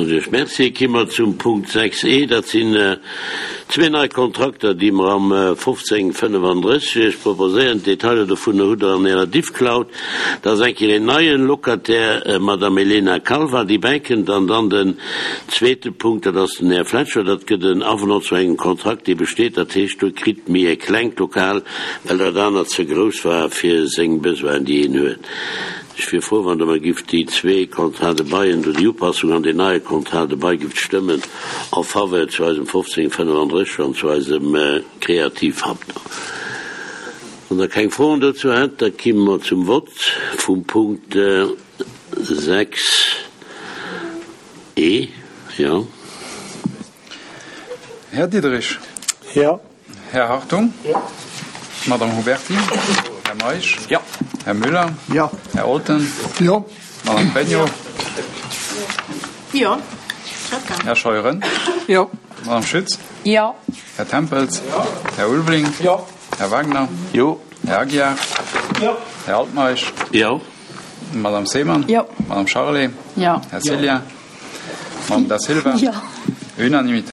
Soen ech Iech Merci. Ki mer zum Punkt 6 e. Dat sinn zwee nei Kontrakter, déi mer am 1535 proposéieren. D'Detailer dovunner hutt Der an Ärer Diffcloud. Dat ass eng Kéier een neien Locataire, d'Madame Elena Calva, déi bäikënnt. An dann den zweete Punkt, dat ass den Här Fletcher. Dat gëtt en Avenant zu engem Kontrakt, dee besteet. Dat heescht, do kritt méi e klengt Lokal, well dat anert ze grouss war fir seng Besoinen, déi een huet. Ech wier frou, wann Der mer gift déi zwee Contrats de baillen do, déi Upassung an deen neie Contrat de bail gift stëmmen en faveur zu eisem 1535 an zu eisem Kreativhub do. Wann Der keng Froen dozou hätt, da kimme mer zum Vott vum Punkt 6 e. Jo. Här Diderich. Jo. Här Hartung. Jo. Madame Huberty. Här Meisch. Jo. Här Müller. Jo. Här Olten. Jo. Madame Pregno. Jo. Här Scheuren. Jo. Madame Schütz. Jo. Här Tempels. Jo. Här Ulveling. Jo. Här Wagner. Jo. Här Aguiar. Jo. Här Altmeisch. Jo. Madame Seemann. Jo. Madame Charlé. Jo. Här Cillien. Madame Da Silva. Jo. Unanimité.